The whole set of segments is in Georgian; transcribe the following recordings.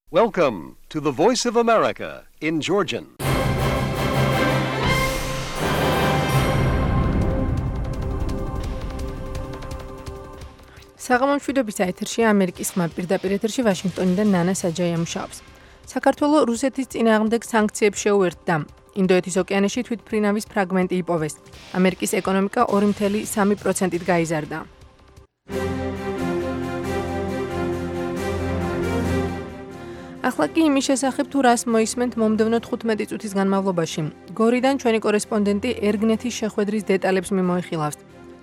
Welcome to the Voice of America in Georgian. საღამომშვიდობის ეთერში ამერიკის ხმა პირდაპირ ეთერში ვაშინგტონიდან ნანა საჯაია მუშაობს. საქართველო რუსეთის წინააღმდეგ სანქციებს შეუერთდა. ინდოეთის ოკეანეში თვითმფრინავის ფრაგმენტი იპოვეს. ამერიკის ეკონომიკა 2.3%-ით გაიზარდა. ახლა კი იმის შესახებ თუ რას მოისმენთ მომდევნო 15 წუთის განმავლობაში. გორიდან ჩვენი კორესპონდენტი ერგნეთის შეხვედრის დეტალებს მიმოიხილავს.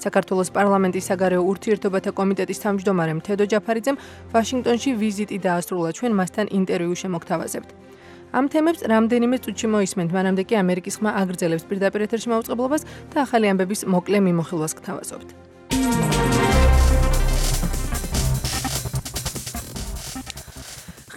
საქართველოს პარლამენტის საგარეო ურთიერთობათა კომიტეტის თავმჯდომარემ თედო ჯაფარიძემ ვაშინგტონში ვიზიტი დაასრულა, ჩვენ მასთან ინტერვიუ შემოგთავაზებთ. ამ თემებს რამდენიმე წუთში მოისმენთ, მანამდე კი ამერიკის ხმა აგრძელებს პირდაპირ ეთერში მაუწყებლობას და ახალი ამბების მოკლე მიმოხილვას გთავაზობთ.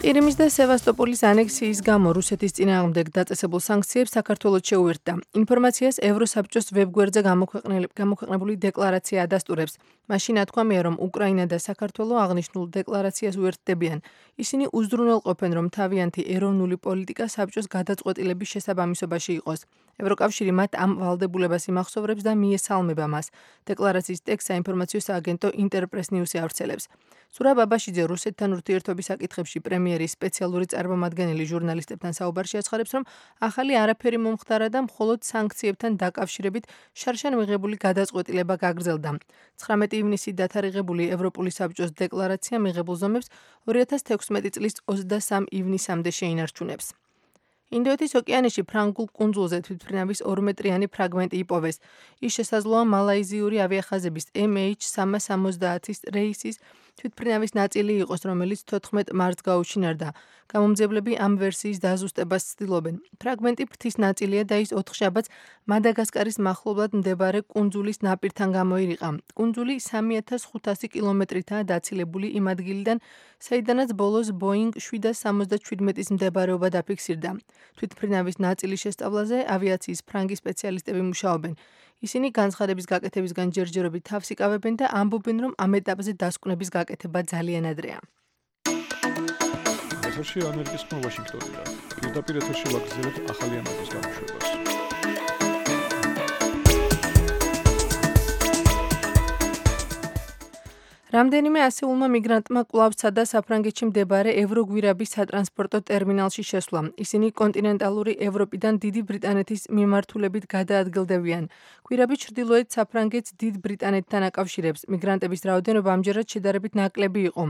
ყირიმის და სევასტოპოლის ანექსიის გამო რუსეთის წინააღმდეგ დაწესებულ სანქციებს საქართველოს შეუერთდა. ინფორმაციას ევროსაბჭოს ვებგვერდზე გამოქვეყნებული დეკლარაცია ადასტურებს. მაშინ ათქვამია, რომ უკრაინა და საქართველო აღნიშნულ დეკლარაციას უერთდებიან. ისინი უზრუნველყოფენ, რომ თავიანთი ეროვნული პოლიტიკა საბჭოს გადაწყვეტილების შესაბამისობაში იყოს. ევროკავშირი მათ ამ ვალდებულებას იმახსოვრებს და მიესალმება მას. დეკლარაციის ტექსტს საინფორმაციო სააგენტო ინტერპრეს ნიუსი ავრცელებს. ზურაბ აბაშიძე რუსეთთან ურთიერთობის საკითხებში პრემიერის სპეციალური წარმომადგენელი ჟურნალისტებთან საუბარში აცხადებს, რომ ახალი არაფერი მომხდარა და მხოლოდ სანქციებთან დაკავშირებით შარშან მიღებული გადაწყვეტილება გაგრძელდა. 19 ივნისით დათარიღებული ევროპული საბჭოს დეკლარაცია მიღებულ ზომებს 2016 წლის 23 ივნისამდე შეინარჩუნებს. ინდოეთის ოკეანეში ფრანგულ კუნძულზე თვითმფრინავის 2-მეტრიანი ფრაგმენტი იპოვეს. ის შესაძლოა მალაიზიური ავიახაზების MH370 რეისის თვითმფრინავის ნაწილი იყოს, რომელიც 14 მარტს გაუჩინარდა. გამომძებლები ამ ვერსიის დაზუსტებას ცდილობენ. ფრაგმენტი ფრთის ნაწილია და ის 4 შაბათს მადაგასკარის მახლობლად მდებარე კუნძულის ნაპირთან გამოირიყა. კუნძული 3500 კილომეტრითაა დაცილებული იმ ადგილიდან, საიდანაც ბოლოს Boeing 777-ის მდებარეობა დაფიქსირდა. თვითმფრინავის ნაწილის შესწავლაზე ავიაციის ფრანგი სპეციალისტები მუშაობენ. ისინი განცხადების გაკეთებისგან ჯერჯერობით თავს იკავებენ და ამბობენ, რომ ამ ეტაპზე დასკვნების გაკეთება ძალიან ადრეა. ეთერში ამერიკის ხმა ვაშინგტონიდან. პირდაპირ ეთერში ვაგრძელებთ ახალი ამბების გამოშვებას. რამდენიმე ასეულმა მიგრანტმა კვლავ სცადა საფრანგეთში მდებარე ევროგვირაბის სატრანსპორტო ტერმინალში შესვლა. ისინი კონტინენტალური ევროპიდან დიდი ბრიტანეთის მიმართულებით გადაადგილდებიან. გვირაბი ჩრდილოეთ საფრანგეთს დიდ ბრიტანეთთან აკავშირებს. მიგრანტების რაოდენობა ამჯერად შედარებით ნაკლები იყო.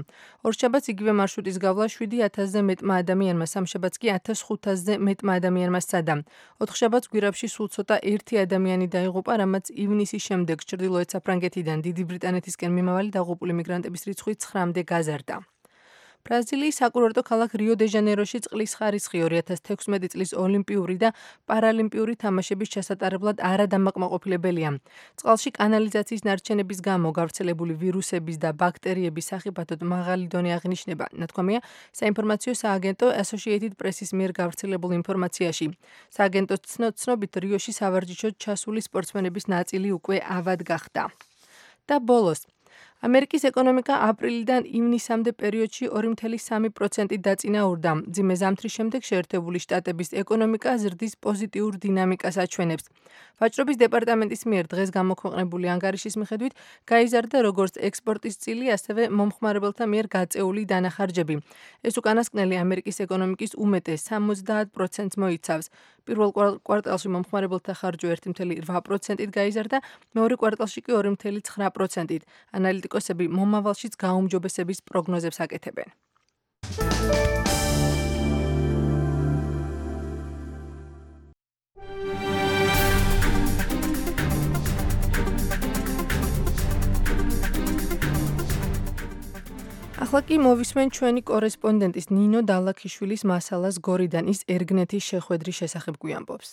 ორშაბათს იგივე მარშრუტის გავლა 7000-ზე მეტმა ადამიანმა, სამშაბათს კი 1500-ზე მეტმა ადამიანმა სცადა. ოთხშაბათს გვირაბში სულ ცოტა ერთი ადამიანი დაიღუპა, რამაც ივნისის შემდეგ ჩრდილოეთ საფრანგეთიდან დიდი ბრიტანეთისკენ მიმავალი დაღუპული მიგრანტების რიცხვი 9-მდე გაზარდა. ბრაზილიის საკურორტო ქალაქ რიო-დე-ჟანეიროში წყლის ხარისხი 2016 წლის ოლიმპიური და პარალიმპიური თამაშების ჩასატარებლად არადამაკმაყოფილებელია. წყალში კანალიზაციის ნარჩენების გამო გავრცელებული ვირუსების და ბაქტერიების სახიფათოდ მაღალი დონე აღინიშნება, ნათქვამია საინფორმაციო სააგენტო Associated Press-ის მიერ გავრცელებულ ინფორმაციაში. სააგენტოს ცნობით რიოში სავარჯიშოდ ჩასული სპორტსმენების ნაწილი უკვე ავად გახდა. და ბოლოს ამერიკის ეკონომიკა აპრილიდან ივნისამდე პერიოდში 2.3%-ით დაწინაურდა. მძიმე ზამთრის შემდეგ შეერთებული შტატების ეკონომიკა ზრდის პოზიტიურ დინამიკას აჩვენებს. ვაჭრობის დეპარტამენტის მიერ დღეს გამოქვეყნებული ანგარიშის მიხედვით გაიზარდა როგორც ექსპორტის წილი, ასევე მომხმარებელთა მიერ გაწეული დანახარჯები. ეს უკანასკნელი ამერიკის ეკონომიკის უმეტეს 70%-ს მოიცავს. პირველ კვარტალში მომხმარებელთა ხარჯვა 1.8%-ით გაიზარდა, მეორე კვარტალში კი 2.9%-ით. ანალიტიკოსები მომავალშიც გაუმჯობესების პროგნოზებს აკეთებენ. ახლა კი მოვისმენ ჩვენი კორესპონდენტის ნინო დალაქიშვილის მასალას გორიდან, ის ერგნეთის შეხვედრის შესახებ გვიამბობს.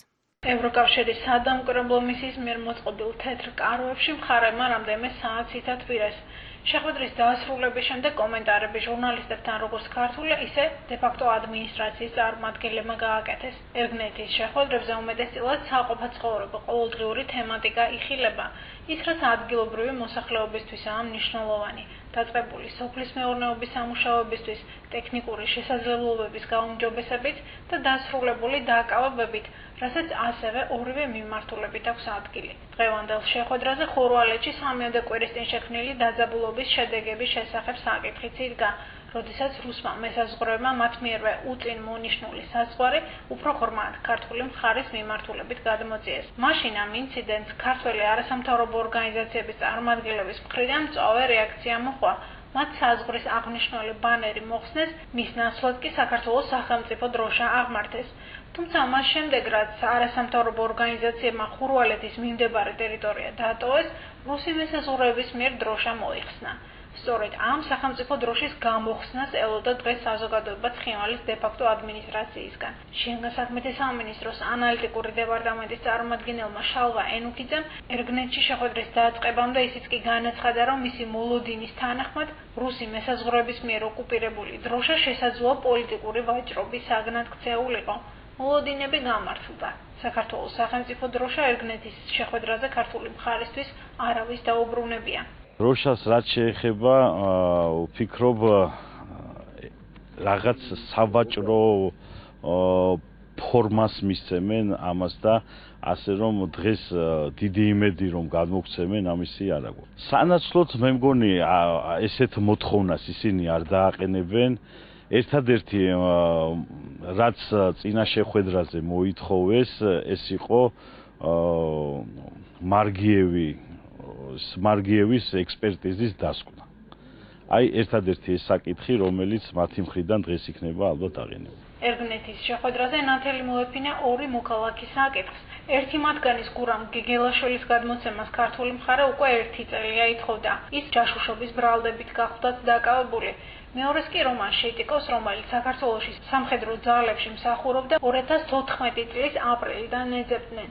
ევროკავშირის სადამკვირვებლო მისიის მიერ მოწყობილ თეთრ კაროებში მხარეებმა რამდენიმე საათს ითათბირეს. შეხვედრის დასრულების შემდეგ კომენტარები ჟურნალისტებთან როგორც ქართული, ისე დე-ფაქტო ადმინისტრაციის წარმომადგენლებმა გააკეთეს. ერგნეთის შეხვედრებზე უმეტესწილად საყოფა ცხოვრება, ყოველდღიური თემატიკა იხილება. ის, რაც ადგილობრივი მოსახლეობისთვისაა მნიშვნელოვანი. დაწყებული სოფლის მეურნეობის სამუშაოებისთვის ტექნიკური შესაძლებლობების გაუმჯობესებით და დასრულებული დააკავებებით, რასაც ასევე ორივე მიმართულებით აქვს ადგილი. დღევანდელ შეხვედრაზე ხურვალეთში 3-ოდე კვირის წინ შექმნილი დაძაბულობის შედეგების შესახებ საკითხიც იდგა, როდესაც რუსმა მესაზღვრეებმა მათ მიერვე უწინ მონიშნული საზღვარი უფრო ღრმად ქართული მხარის მიმართულებით გადმოწიეს. მაშინ ამ ინციდენტს ქართველი არასამთავრობო ორგანიზაციების წარმომადგენლების მხრიდან მწვავე რეაქცია მოჰყვა. მათ საზღვრის აღნიშნული ბანერი მოხსნეს, მის ნაცვლად კი საქართველოს სახელმწიფო დროშა აღმართეს. თუმცა მას შემდეგ, რაც არასამთავრობო ორგანიზაციებმა ხურვალეთის მიმდებარე ტერიტორია დაატოვეს, რუსი მესაზღვრეების მიერ დროშა მოიხსნა. სწორედ ამ სახელმწიფო დროშის გამოხსნას ელოდა დღეს საზოგადოება ცხინვალის დე-ფაქტო ადმინისტრაციისგან. შინაგან საქმეთა სამინისტროს ანალიტიკური დეპარტამენტის წარმომადგენელმა შალვა ენუქიძემ ერგნეტში შეხვედრის დაწყებამდე ისიც კი განაცხადა, რომ მისი მოლოდინის თანახმად რუსი მესაზღვრეების მიერ ოკუპირებული დროშა შესაძლოა პოლიტიკური ვაჭრობის საგნად ქცეულიყო. მოლოდინები გამართლდა. საქართველოს სახელმწიფო დროშა ერგნეთის შეხვედრაზე ქართული მხარისთვის არავის დაუბრუნებია. დროშას რაც შეეხება, ვფიქრობ, რაღაც სავაჭრო ფორმას მისცემენ ამას და ასე რომ დღეს დიდი იმედი რომ გადმოგცემენ ამისი არ აქვს. სანაცვლოდ მე მგონი ესეთ მოთხოვნას ისინი არ დააყენებენ. ერთადერთი რაც წინა შეხვედრაზე მოითხოვეს, ეს იყო მარგიევის ექსპერტიზის დასკვნა. აი ერთადერთი ეს საკითხი, რომელიც მათი მხრიდან დღეს იქნება ალბათ აღიარებული. ერგნეთის შეხვედრაზე ნათელი მოეფინა ორი მოქალაქის საკითხს. ერთი მათგანის გურამ გეგელაშვილის გადმოცემას ქართული მხარე უკვე 1 წელია ითხოვდა. ის ჯაშუშობის ბრალდებით გახლდათ დაკავებული. მეორეს კი რომან შეიტიკოს, რომელიც საქართველოში სამხედრო ძალებში მსახურობდა 2014 წლის აპრილიდან ეძებდნენ.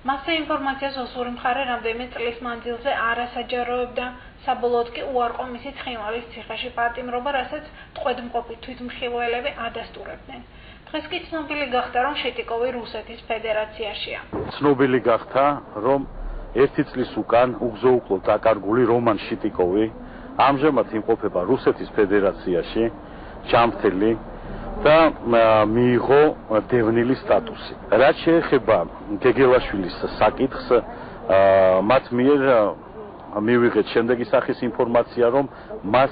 მასზე ინფორმაციას ოსური მხარე რამდენიმე წლის მანძილზე არასაჯაროებდა, საბოლოოდ კი უარყო მისი ცხინვალის ციხეში პატიმრობა, რასაც ტყვედმყოფი თვითმხილველები ადასტურებდნენ. დღეს კი ცნობილი გახდა, რომ შეტიკოვი რუსეთის ფედერაციაშია. ცნობილი გახდა, რომ 1 წლის უკან უგზო-უკლო დაკარგული რომან შიტიკოვი ამჟამად იმყოფება რუსეთის ფედერაციაში, ჯამთელი და მიიღო დევნილი სტატუსი. რაც შეეხება გეგელაშვილის საკითხს, მათ მიერ მივიღეთ შემდეგი სახის ინფორმაცია, რომ მას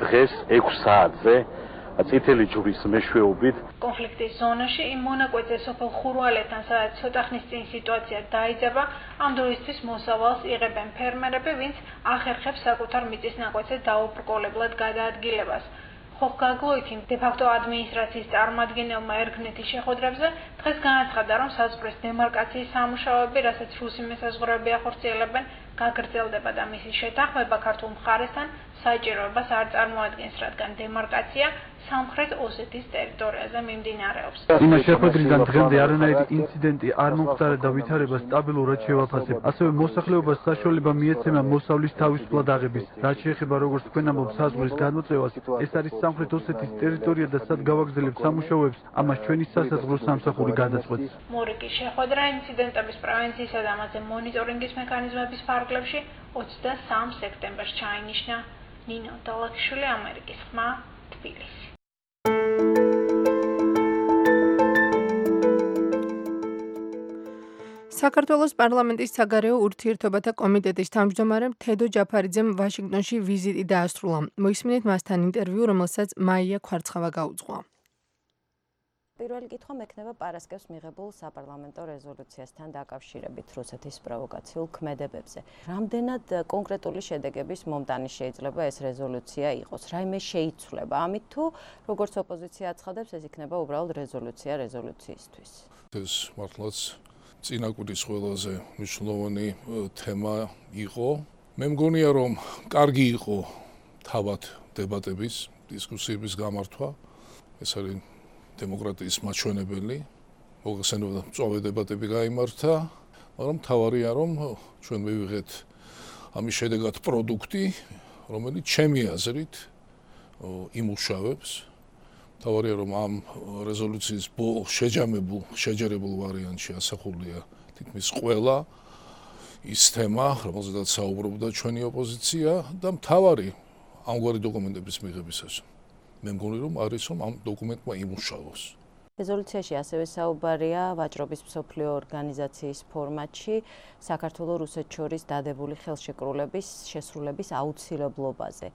დღეს 6 საათზე წითელი ჯვრის მეშვეობით კონფლიქტის ზონაში იმ მონაკვეთზე სოფელ ხურვალეთთან, სადაც ცოტა ხნის წინ სიტუაცია დაიძაბა, ამ დროისთვის მოსავალს იღებენ ფერმერები, ვინც ახერხებს საკუთარ მიწის ნაკვეთზე დაუბრკოლებლად გადაადგილებას. ხოხგაგლოითი დე-ფაქტო ადმინისტრაციის წარმომადგენელმა ერგნეთის შეხვედრებზე დღეს განაცხადა, რომ საზღვრის დემარკაციის სამუშაოები, რასაც რუსი მესაზღვრეები ახორციელებენ, გაგრძელდება და მისი შეთანხმება ქართულ მხარესთან საჭიროებას არ წარმოადგენს, რადგან დემარკაცია სამხრეთ ოსეთის ტერიტორიაზე მიმდინარეობს. იმ შეხვედრიდან დღემდე არანაირი ინციდენტი არ მომხდარა და ვითარება სტაბილურად შევაფასებ. ასევე მოსახლეობას საშუალება მიეცემა მოსავლის თავისუფლად აღების. რაც შეეხება როგორც თქვენ ამბობთ საზღვრის გადმოწევას, ეს არის სამხრეთ ოსეთის ტერიტორია და სად გავაგრძელებთ სამუშაოებს, ამას ჩვენი სასაზღვრო სამსახური გადაწყვეტს. მორიკის შეხვედრა ინციდენტების პრევენციისა და ამაზე მონიტორინგის მექანიზმების ფარგლებში 23 სექტემბერს ჩაინიშნა. ნინო დალაქიშვილი, ამერიკის ხმა, თბილისი. საქართველოს პარლამენტის საგარეო ურთიერთობათა კომიტეტის თავმჯდომარემ თედო ჯაფარიძემ ვაშინგტონში ვიზიტი დაასრულა. მოისმინეთ მასთან ინტერვიუ, რომელსაც მაია ქვარცხავა გაუძღვა. პირველი კითხვა მექნება პარასკევს მიღებულ საპარლამენტო რეზოლუციასთან დაკავშირებით რუსეთის პროვოკაციულ ქმედებებზე. რამდენად კონკრეტული შედეგების მომტანი შეიძლება ეს რეზოლუცია იყოს? რაიმე შეიცვლება ამით თუ როგორც ოპოზიცია აცხადებს, ეს იქნება უბრალოდ რეზოლუცია რეზოლუციისთვის? ეს მართლაც წინა კვირის ყველაზე მნიშვნელოვანი თემა იყო. მე მგონია, რომ კარგი იყო თავად დებატების, დისკუსიების გამართვა. ეს არის დემოკრატიის მაჩვენებელი. მოგხსენებოდა მწვავე დებატები გაიმართა, მაგრამ მთავარია, რომ ჩვენ მივიღეთ ამის შედეგად პროდუქტი, რომელიც ჩემი აზრით იმუშავებს. მთავარია, რომ ამ რეზოლუციის შეჯამებულ ვარიანტში ასახულია თითქმის ყველა ის თემა, რომელზედაც საუბრობდა ჩვენი ოპოზიცია და მთავარი ამგვარი დოკუმენტების მიღებისას. მე მგონი რომ არის რომ ამ დოკუმენტმა იმუშავოს. რეზოლუციაში ასევე საუბარია ვაჭრობის მსოფლიო ორგანიზაციის ფორმატში საქართველოს რუსეთს შორის დადებული ხელშეკრულების შესრულების აუცილებლობაზე.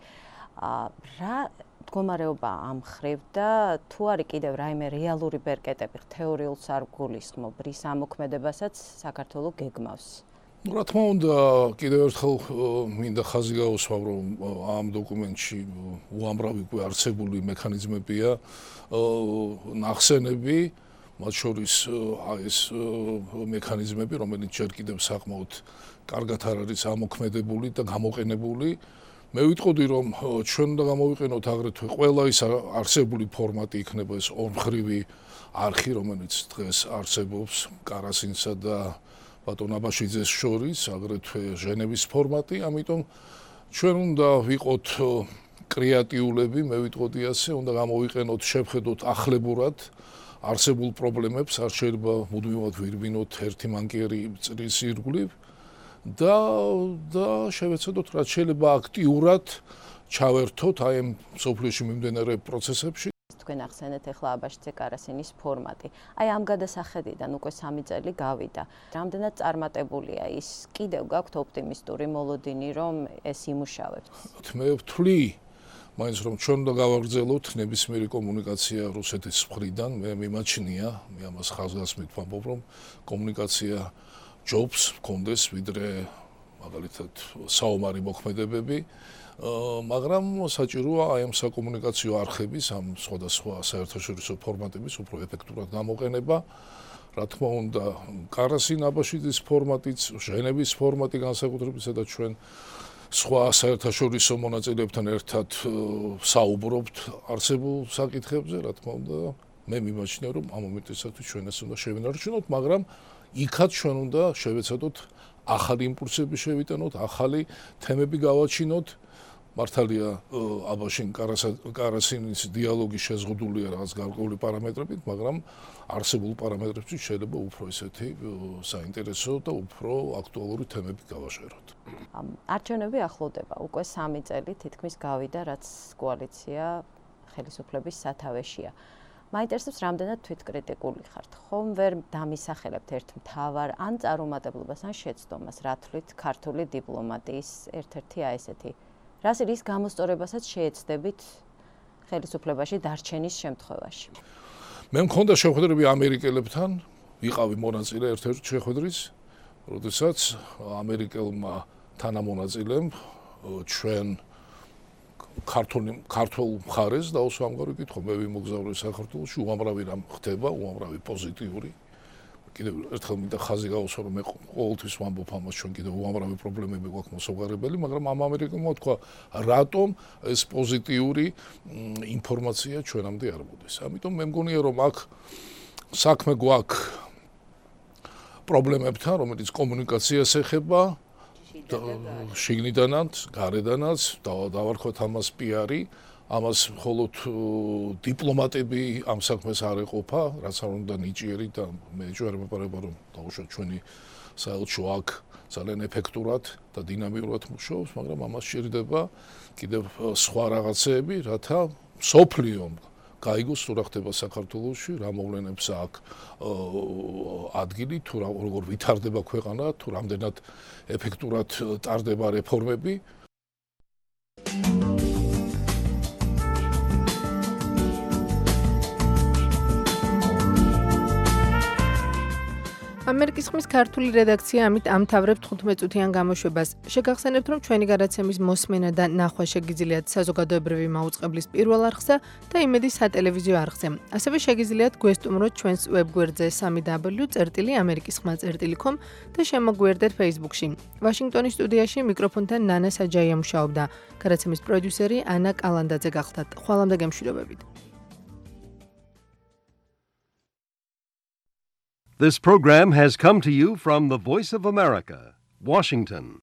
რა მდგომარეობა ამ მხრივ და თუ არის კიდევ რაიმე რეალური ბერკეტები თეორიულ სარგულისხმობ რის ამოქმედებასაც საქართველოს გეგმავს. რა თქმა უნდა, კიდევ ერთხელ მინდა ხაზი გაუსვა, რომ ამ დოკუმენტში უამრავი არსებული მექანიზმებია, ნახსენები, მათ შორის ეს მექანიზმები, რომელიც ჯერ კიდევ საკმაოდ კარგად არ არის ამოქმედებული და გამოყენებული. მე ვიტყოდი, რომ ჩვენ უნდა გამოვიყენოთ აგრეთვე ყველა ის არსებული ფორმატი, იქნება ეს ორმხრივი არხი, რომელიც დღეს არსებობს კარასინსა და ბატონ აბაშიძეს შორის, აგრეთვე ჟენევის ფორმატი, ამიტომ ჩვენ უნდა ვიყოთ კრეატიულები, მე ვიტყოდი ასე, უნდა გამოვიყენოთ, შევხედოთ ახლებურად არსებულ პრობლემებს, არ შეიძლება მუდმივად ვირბინოთ ერთი მანკიერი წრის ირგვლივ და შევეცადოთ, რაც შეიძლება აქტიურად ჩავერთოთ აი ამ სოფლიოში მიმდინარე პროცესებში. თქვენ ახსენეთ ახლა აბაშიძე კარასინის ფორმატი. აი ამ გადასახედიდან უკვე 3 წელი გავიდა. რამდენად წარმატებულია ის? კიდევ გაქვთ ოპტიმისტური მოლოდინი, რომ ეს იმუშავებს? მე ვთვლი, მაინც რომ ჩვენ უნდა გავაგრძელოთ ნებისმიერი კომუნიკაცია რუსეთის მხრიდან, მე მიმაჩნია, მე ამას ხაზგასმით ვამბობ, რომ კომუნიკაცია ჯობს მქონდეს, ვიდრე მაგალითად საომარი მოქმედებები. მაგრამ საჭიროა აი ამ საკომუნიკაციო არხების, ამ სხვადასხვა საერთაშორისო ფორმატების უფრო ეფექტურად გამოყენება. რა თქმა უნდა, კარასინ აბაშიძის ფორმატიც, ჟენევის ფორმატი განსაკუთრებისა და ჩვენ სხვა საერთაშორისო მონაწილეებთან ერთად საუბრობთ არსებულ საკითხებზე, რა თქმა უნდა, მე მიმაჩნია, რომ ამ მომენტისათვის ჩვენ ეს უნდა შევინარჩუნოთ, მაგრამ იქაც ჩვენ უნდა შევეცადოთ ახალი იმპულსები შევიტანოთ, ახალი თემები გავაჩინოთ. მართალია აბაშინ კარასინის დიალოგი შეზღუდულია რაღაც გარკვეული პარამეტრებით, მაგრამ არსებულ პარამეტრებში შეიძლება უფრო ესეთი საინტერესო და უფრო აქტუალური თემები გავაშეროთ. არჩევნები ახლოვდება, უკვე 3 წელი თითქმის გავიდა, რაც კოალიცია ხელისუფლების სათავეშია. მაინტერესებს, რამდენად თვითკრიტიკული ხართ. ხომ ვერ დამისახელებთ ერთ მთავარ ან წარუმატებლობას, ან შეცდომას, რა თვლით ქართული დიპლომატიის ერთ-ერთი აი ესეთი რას რის გამოსწორებასაც შეეცდებით ხელისუფლებაში დარჩენის შემთხვევაში. მე მქონდა შეხვედრები ამერიკელებთან, ვიყავი მონაწილე ერთ-ერთი შეხვედრის, როდესაც ამერიკელმა თანამონაწილემ ჩვენ ქართულ მხარეს დაუსვა ამგვარი კითხვა, მე ვიმოგზავრე საქართველოში, უამრავი რამ ხდება, უამრავი პოზიტიური. კიდევ ერთხელ მინდა ხაზი გაუსვა, რომ მე ყოველთვის ვამბობ ამას, ჩვენ კიდევ უამრავი პრობლემები გვაქვს მოსაუბრებელი, მაგრამ ამ ამერიკელმა თქვა, რატომ ეს პოზიტიური ინფორმაცია ჩვენამდე არ მოდის. ამიტომ მე მგონია, რომ აქ საქმე გვაქვს პრობლემებთან, რომელიც კომუნიკაციას ეხება, შიგნიდანაც, გარედანაც, დავარქვათ ამას პიარი. ამას მხოლოდ დიპლომატები ამ საქმეს არ ეყოფა, რაც არ უნდა ნიჭიერი და მე ჯერ მეპარება რომ დაუშვათ ჩვენი საელჩო აქ ძალიან ეფექტურად და დინამიურად მუშაობს, მაგრამ ამას შეიძლება კიდევ სხვა რაღაცეები, რათა სოფლიომ გაიგოს თუ რა ხდება საქართველოში, რა მოვლენებს აქ ადგილი, თუ როგორ ვითარდება ქვეყანა, თუ რამდენად ეფექტურად ტარდება რეფორმები. ამერიკის ხმის ქართული რედაქცია ამით ამთავრებს 15 წუთიან გამოშვებას. შეგახსენებთ, რომ ჩვენი გადაცემის მოსმენა და ნახვა შეგიძლიათ საზოგადოებრივი მაუწყებლის პირველ არხზე და იმედის სატელევიზიო არხზე. ასევე შეგიძლიათ გვესტუმროთ ჩვენს ვებგვერდზე www.amerikisxma.com და შემოგვიერთდეთ Facebook-ში. ვაშინგტონის სტუდიაში მიკროფონთან ნანა საჯაია მუშაობდა. გადაცემის პროდიუსერი ანა კალანდაძე გახლდათ. ხვალამდე გემშვიდობებით. This program has come to you from the Voice of America, Washington.